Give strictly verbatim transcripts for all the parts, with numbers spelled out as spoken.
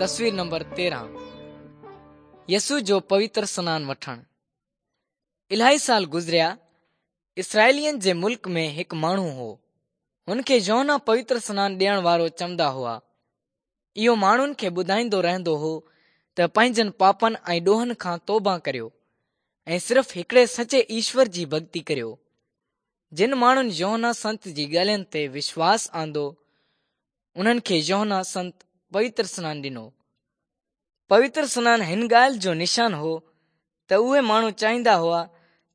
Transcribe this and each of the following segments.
تصوير نمبر تيرهن يسوع جو پوتر سنان وٺڻ. الاهي سال گذريا. اسرائيلين جي ملڪ ۾ هڪ ماڻهو هو. هن کي يوحنا پوتر سنان ڏيڻ وارو چوندا هئا. اهو ماڻهن کي ٻڌائيندو رهندو هو ته پنهنجن پاپن ۽ ڏوهن کان توبه ڪريو ۽ صرف هڪڙي سچي ايشور جي ڀڳتي ڪريو. جن ماڻهن يوحنا سنت جي ڳالهين تي وشواس آندو، انهن کي يوحنا سنت پوتر سنان ڏنو. پوتر سنان هن ڳالهه جو نشان هو ته اهي ماڻهو چاهيندا هئا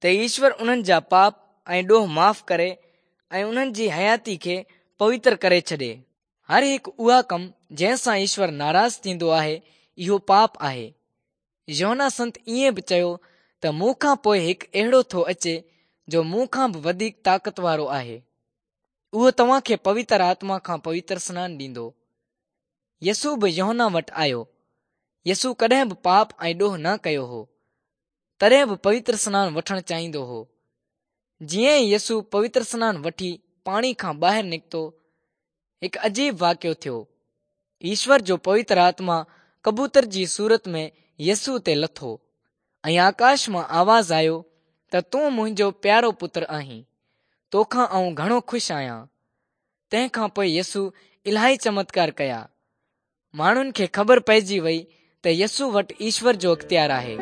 ته ايشور انهن جا پاپ ۽ ڏوهه معاف ڪري ۽ انهن جي حياتي کي پوتر ڪري ڇڏي. هر هڪ اها ڪم جنهن سان ايشور ناراض ٿيندو آهي، اهو پاپ آهي. يوحنا سنت ائين به چيو ته مون کان پوءِ هڪ اهڙو ٿو اچي جو مون کان به وڌيڪ طاقت وارو آهي. اهو توهان کي پوتر آتما کان پوتر سنان ڏيندو. يسوع به يوحنا وٽ آيو. يسوع ڪڏهن به پاپ ۽ ڏوهه نه ڪيو هو، تڏهن به پوتر سنان وٺڻ چاهيندو هو. جيئن ئي يسوع پوتر سنان وٺي پاڻي کان ٻاهر نڪتو، هڪ عجيب واقعو ٿيو. ايشور جو پوتر آتما ڪبوتر جي صورت ۾ يسوع تي لٿو ۽ آڪاش مان آواز آيو ته تون منهنجو پيارو پتر آهين، توکان آئون گهڻو خوش آهيان. تنهن کان پوءِ يسوع الاهي چمتڪار ڪيا. ماڻهن کي خبر پئجي وئي ته يسوع وٽ ايشور جو اختيار آهي.